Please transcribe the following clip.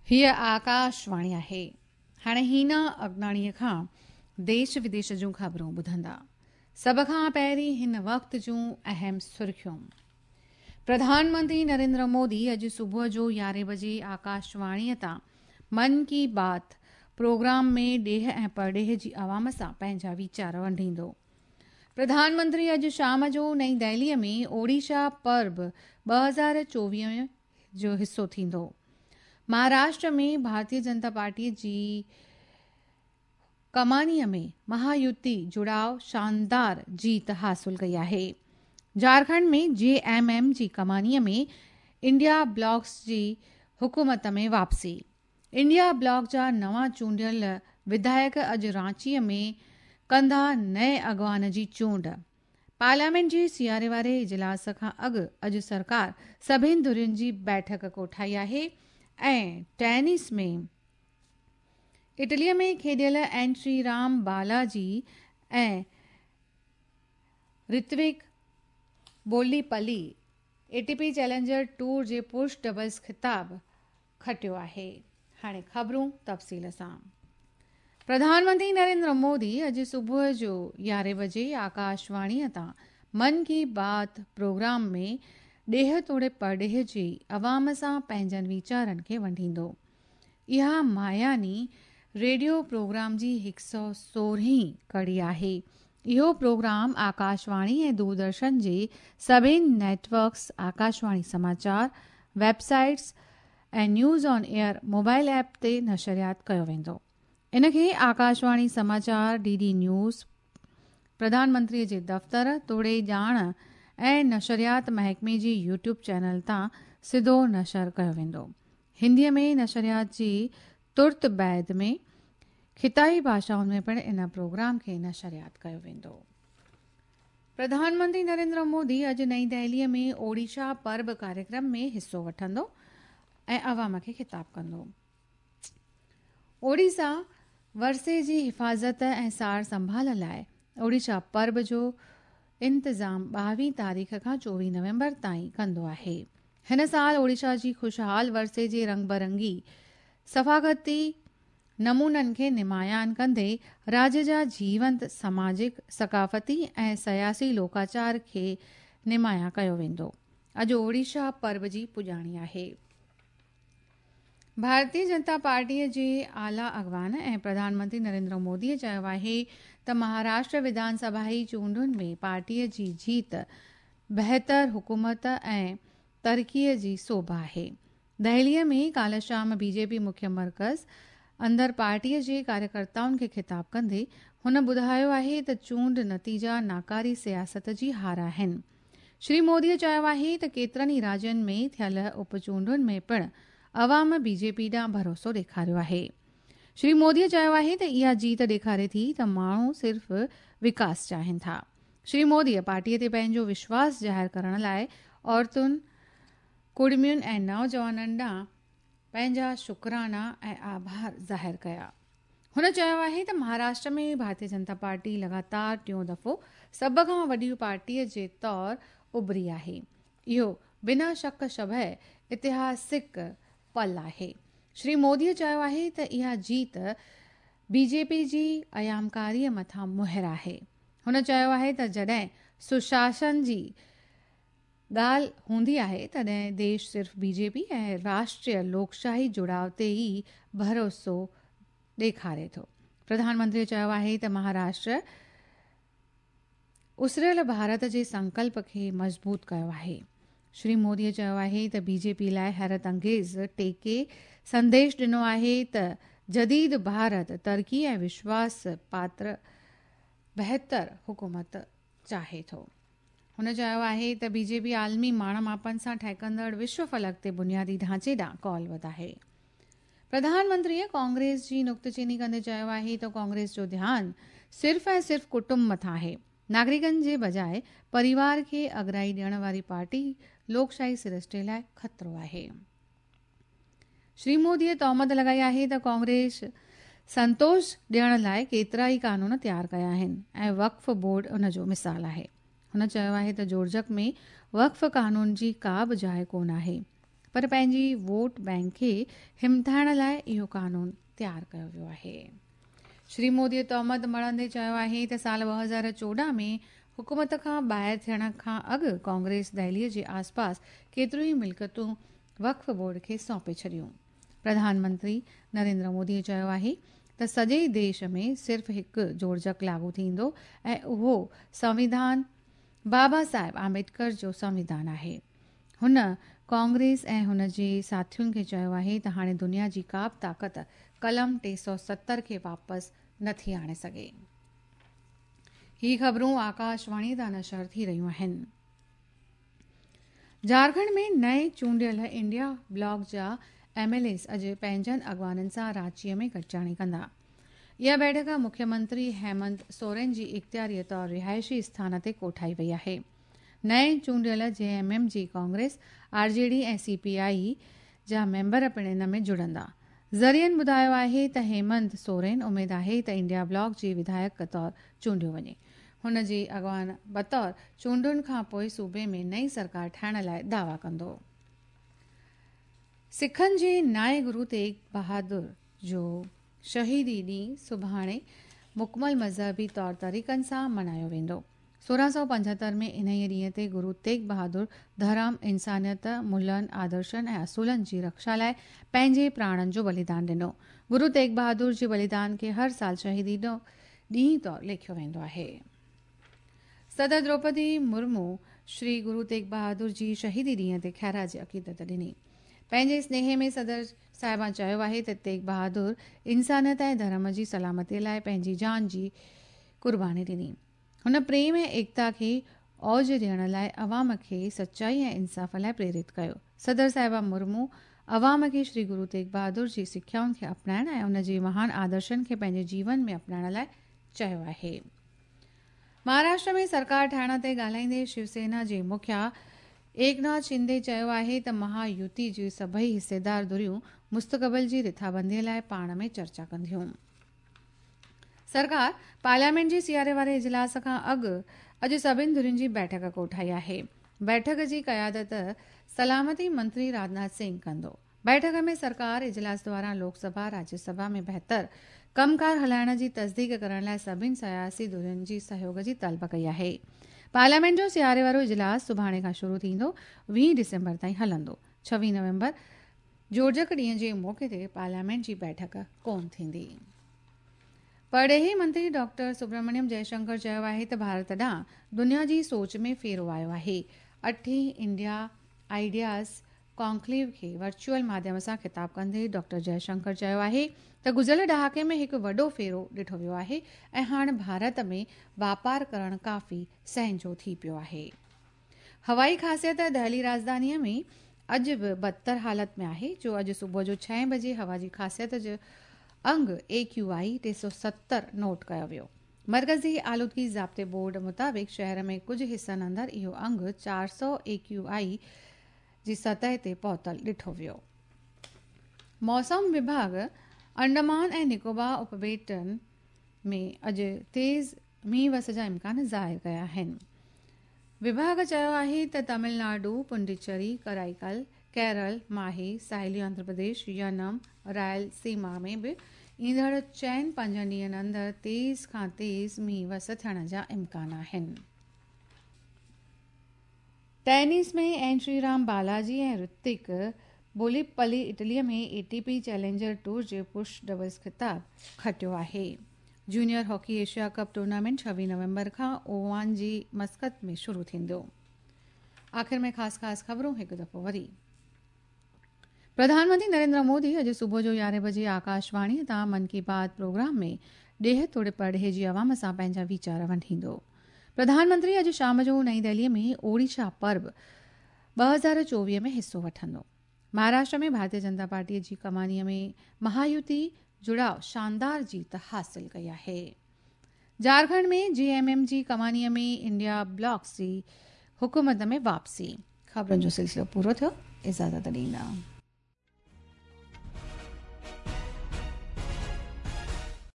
هيء آڪاشواڻي آهي. هاڻي هينا اگناڻيء کان ديش وديش جون خبرون ٻڌندا. سڀ کان پهرين هن وقت جون اهم سرخيون. پرڌان منتري نريندر مودي اڄ صبح جو يارهين بجي آڪاشواڻيء تان من ڪي بات پروگرام ۾ ڏيهه ۽ پرڏيهه جي عوام سان پنهنجا ويچار ونڊيندو. پرڌان منتري اڄ شام جو نئين دهليء ۾ اوڙيشا پرب 2024 جو حصو ٿيندو. مهاراشٽر ۾ ڀارتيه جنتا پارٽي جي ڪمانيء ۾ مهايوتي جڙاء شاندار جيت حاصل ڪئي آهي. جهارکنڊ ۾ جي ايم ايم جي ڪمانيء ۾ انڊيا بلاڪس جي حڪومت ۾ واپسي. انڊيا بلاڪ جا نوان چونڊيل وڌايڪ اڄ رانچيء ۾ ڪندا نئين اڳواڻ جي چونڊ. پارليامينٽ جي سياري واري اجلاس کان اڳ اڄ سرڪار سڀني ڌرين جي بيٺڪ ڪوٺائي آهي ۽ ٽينس ۾ اٽليء ۾ کيڏيل اين شري رام بالاجي ۽ رتوڪ بوليپلي اي ٽي پي چئلينجر ٽوئر جي پرش ڊبلز خطاب کٽيو آهي. هاڻي خبرون تفصيل سان. پرڌان منتري نريندر مودي اڄ صبح جو يارهين بجي آڪاشواڻيء تان من ڪي بات پروگرام ۾ ڏيهه توڙي پرڏيهه جي عوام سان پنهنجن ويچارن کي ونڊيندو. اها ماهياني ريڊيو پروگرام جي هڪ سئو سورهين ڪڙي آهي. اهو پروگرام آڪاشواڻي ۽ دوردرشن جي سڀني net works, Akashvani Samachar, web sites ۽ news on air mobile app تي نشريات ڪيو ويندو. ان کي آڪاشواڻي سماچار، D D news, Pradhan Mantri جي دفتر توڙي ڄاڻ ۽ نشريات محڪمي جي يوٽيوب چينل تان سڌو نشر ڪيو ويندو. هنديء ۾ نشريات جي ترت بعد ۾ خطائي ڀاشائن ۾ پڻ ان پروگرام کي نشريات ڪيو ويندو. پرڌان منتري نريندر مودي اڄ نئين دهليء ۾ اوڙيشا پرب ڪاريڪرم ۾ حصو وٺندو ۽ عوام کي خطاب ڪندو. اوڙيسا ورثي جي حفاظت ۽ سار سنڀال لاء اوڙيشا پرب جو انتظام ٻاويهه تاريخ کان چوويهه نومبر تائين ڪندو آهي. هن سال اوڙيشا جي خوشحال ورثي جي رنگ برنگي ثفاقتي نمونن کي نمايان ڪندي راڄ جا جيونت سماجڪ، ثقافتي ۽ سياسي لوڪاچار کي نمايان ڪيو ويندو. اڄ اوڙيشا پرب جي پڄاڻي آهي. ڀارتيه جنتا پارٽيء جي اعليٰ اڳواڻ ۽ پرڌان منتري نريندر موديء چيو آهي ته مهاراشٽر وڌان سڀائي چونڊن ۾ پارٽيء جي جيت بهتر حڪومت ۽ ترقيء جي سوڀ آهي. دهليء ۾ ڪالهه شام بي جي پي مکيه مرڪز اندر پارٽيء جي ڪاريڪرتائن کي خطاب ڪندي هن ٻڌايو آهي ته چونڊ نتيجا ناڪاري سياست جي هار آهن. شري موديء چيو آهي ته ڪيترن ئي راجين ۾ ٿيل اپ چونڊن ۾ پڻ عوام بي جي پي ڏانهن ڀروسو ڏيکاريو آهي. شري موديء چيو آهي ته اها جيت ڏيکاري ٿي ته ماڻهو صرف وڪاس چاهين ٿا. شري موديء پارٽيء تي پنهنجو وشواس ظاهر ڪرڻ لاء عورتن، ڪڙمين ۽ نوجوانن ڏانهن پنهنجا شڪرانا ۽ آڀار ظاهر ڪيا. هن چيو آهي ته مهاراشٽر ۾ ڀارتيه جنتا پارٽي لڳاتار ٽيون دفعو سڀ کان وڏي پارٽي جي طور اڀري آهي. اهو بنا شڪ شبهه اتهاسڪ پل آهي. شري مودي چيو آهي ته اها جيت بي جي پي جي ايامڪاري مٿان مهر آهي. هن چيو آهي ته جڏهن سشاسن جي ڳالهه هوندي آهي تڏهن ديش صرف بي جي پي ۽ راشٽريه لوڪشاهي جڙاء تي ئي ڀروسو ڏيکاري ٿو. پرڌان منتري چيو آهي ته مهاراشٽر اسريل ڀارت جي سنڪلپ کي مضبوط ڪيو آهي. شري مودي چيو آهي ته بي جي پي لاء حيرت انگيز ٽيڪي سنديش ڏنو آهي ته جديد ڀارت ترقي ۽ وشواس پاتر بهتر حڪومت چاهي ٿو. هن چيو آهي ته بي جي پي عالمي ماڻ ماپن سان ٺهڪندڙ وشو فلڪ تي بنيادي ڍانچي ڏانهن ڪول وڌ آهي. پرڌان منتريء ڪانگريس جي نقطه چيني ڪندي چيو آهي ته ڪانگريس جو ڌيان صرف ۽ صرف ڪٽنب مٿان آهي، ناگرڪن جي بجاء پريوار کي اڳرائي ڏيڻ واري پارٽي لوڪشاهي سرشتي لاء خطرو آهي. شري موديء تهمت لڳائي آهي ته ڪانگريس سنتوش ڏيڻ لاء ڪيترائي قانون تيار ڪيا آهن ۽ وقف بورڊ ان جو مثال آهي. هن چيو آهي ته جوڙجڪ ۾ وقف قانون جي ڪا به جاء ڪونه آهي. پر پنهنجي ووٽ بئنڪ کي همٿائڻ لاء اهو قانون تيار ڪيو ويو آهي. شري مودي تهمت مڙهندي چيو آهي ته سال 2014 ۾ حڪومت کان ٻاهر ٿيڻ کان اڳ ڪانگريس دهلي جي آسپاس ڪيتريون ئي ملڪيتون وقف بورڊ کي سونپي ڇڏيون. پرڌان منتري نريندر مودي چيو آهي ته سڄي ديش ۾ صرف هڪ جوڙجڪ لاڳو ٿيندو ۽ اهو سنوڌان بابا صاحب آمبيڊڪر جو سنوڌان آهي. هن ڪانگريس ۽ هن جي ساٿين کي چيو آهي ته هاڻي دنيا جي ڪا به طاقت قلم 370 کي واپس نٿي آڻي سگهي. هي خبرون آڪاشواڻي تان نشر ٿي رهيون آهن. جهارکنڊ ۾ نئين چونڊيل انڊيا بلاڪ جا ايم ايل ايز اڄ پنهنجن اڳواڻن سان رانچي ۾ گڏجاڻي ڪندا. اها بيٺڪ مکيه منتري هيمنت سورين جي اختياري طور رهائشي اسٿان تي ڪوٺائي وئي آهي. نئين چونڊيل جي ايم ايم جي ڪانگريس، آر جي ڊي ۽ سي پي آء جا ميمبر پڻ ان ۾ جڙندا. ذريعن ٻڌايو آهي ته هيمنت سورين اميد آهي ته انڊيا بلاڪ جي وڌايڪ طور چونڊيو وڃي. هن جي اڳواڻ بطور چونڊن کان پوء صوبي ۾ نئين سرڪار ٺاهڻ لاء دعويٰ ڪندو. سکن جي نائين گرو تيغ بهادر جو شهيدي ڏينهن سڀاڻي مڪمل مذهبي طور طريقن سان ملهايو ويندو. 1675 ۾ انهيء ڏينهن تي گرو تيغ بهادر ڌرم، انسانيت، ملهن، آدرشن ۽ اصولن جي رڪشا لاء پنهنجي پراڻن جو بليدان ڏنو. گرو تيغ بهادر جي بليدان کي هر سال شهيدي ڏينهن طور ليکيو ويندو آهي. صدر دروپدي مرمو شري گرو تيغ بهادر جي شهيدي ڏينهن تي خراج عقيدت ڏني. پنهنجي سنيهي ۾ صدر صاحبان چيو آهي ته تيغ بهادر انسانيت ۽ ڌرم جي سلامتي لاء پنهنجي جان جي قرباني ڏني. هن پريم ۽ ايڪتا کي اوج ڏيڻ لاء عوام کي سچائي ۽ انصاف لاء پريرت ڪيو. صدر صاحبه مرمو عوام کي شري گرو تيغ بهادر جي سکيائن کي اپنائڻ ۽ ان جي مهان آدرشن کي پنهنجي جيون ۾ اپنائڻ لاء چيو آهي. مهاراشٽر ۾ سرڪار ٺاهڻ تي ڳالهائيندي شيو سينا جي مکيا ايڪناٿ شندي چيو آهي ته مها يوتي جون سڀئي حصيدار ڌريون مستقبل جي رٿابندي لاء پاڻ ۾ چرچا ڪنديون. سرڪار پارليامينٽ جي سياري واري اجلاس کان اڳ اڄ سڀني ڌرين جي بيٺڪ ڪوٺائي آهي. بيٺڪ جي قيادت سلامتي منتري راجناٿ سنگهه ڪندو. بيٺڪ ۾ سرڪار اجلاس دوران لوڪ سڀا، راجيه سڀا ۾ بهتر ڪم ڪار هلائڻ جي تصديق ڪرڻ لاء سڀني سياسي ڌرين جي سهيوڳ جي طلب ڪئي آهي. پارليامينٽ جو سياري وارو اجلاس سڀاڻي کان شروع ٿيندو 20 ڊسمبر تائين هلندو. 26 نومبر جوڙجڪ ڏينهن جي موقعي تي پارليامينٽ جي بيٺڪ ڪونه ٿيندي. پرڏيهي منتري ڊاڪٽر سبرامنيم جئشنڪر چيو آهي ته ڀارت ڏانهن دنيا جي سوچ ۾ ڦيرو آيو آهي. اٺين انڊيا آئيڊياز ڪانڪليو کي ورچوئل ماڌيم سان خطاب ڪندي ڊاڪٽر جئشنڪر چيو آهي ته گذريل ڏهاڪي ۾ هڪ وڏو ڦيرو ڏٺو ويو آهي ۽ هاڻ ڀارت ۾ واپار ڪرڻ ڪافي سهنجو ٿي پيو آهي. هوائي خاصيت دهلي راڄڌانيء ۾ اڄ به بدتر حالت ۾ آهي جو اڄ صبح جو ڇهين بجي هوا جي خاصيت جو انگ اي ڪيو آء 370 نوٽ ڪيو ويو. مرڪزي آلودگي ضابطي بورڊ مطابق شهر ۾ ڪجهه حصن اندر اهو انگ 400 اي ڪيو آء جي سطح تي پهتل ڏٺو ويو. موسم وڀاڳ انڊمان ۽ نڪوبار اپٻيٽن ۾ اڄ تيز مينهن وس جا امڪان ظاهر ڪيا آهن. وڀاڳ چيو آهي ته تامل ناڊو، پنڊيچري، ڪرائيڪل، ڪيرل، ماهي، ساحلي آنڌرا پرديش، ينم، رائل سيما ۾ به ايندڙ چئن پنجن ڏينهن اندر تيز کان تيز مينهن وس ٿيڻ جا امڪان آهن. Tennis ۾ N Sri Ram Balaji ۽ Rithvik Bollipalli Italy ۾ A T P challenger tour جي پرش ڊبلز خطاب کٽيو آهي. Junior hockey Asia cup tournament 26 نومبر کان اومان جي مسقط ۾ شروع ٿيندو. آخر ۾ خاص خاص خبرون هڪ دفعو وري. پرڌان منتري نريندر مودي اڄ صبح جو 11 بجي آڪاشواڻي تان من ڪي بات پروگرام ۾ ڏيهه توڙي پرڏيهه جي عوام سان پنهنجا ويچار ونڊيندو. پرڌان منتري اڄ شام جو نئين دهلي ۾ اوڙيشا پرب 2024 ۾ حصو وٺندو. مهاراشٽر ۾ ڀارتيه جنتا پارٽي جي ڪمانيء ۾ مهايوتي جڙاء شاندار جيت حاصل ڪئي آهي. جهارکنڊ ۾ جي ايم ايم جي ڪمانيء ۾ انڊيا بلاڪس جي حڪومت ۾ واپسي. خبرن جو سلسلو پورو ٿيو، اجازت ڏيندا.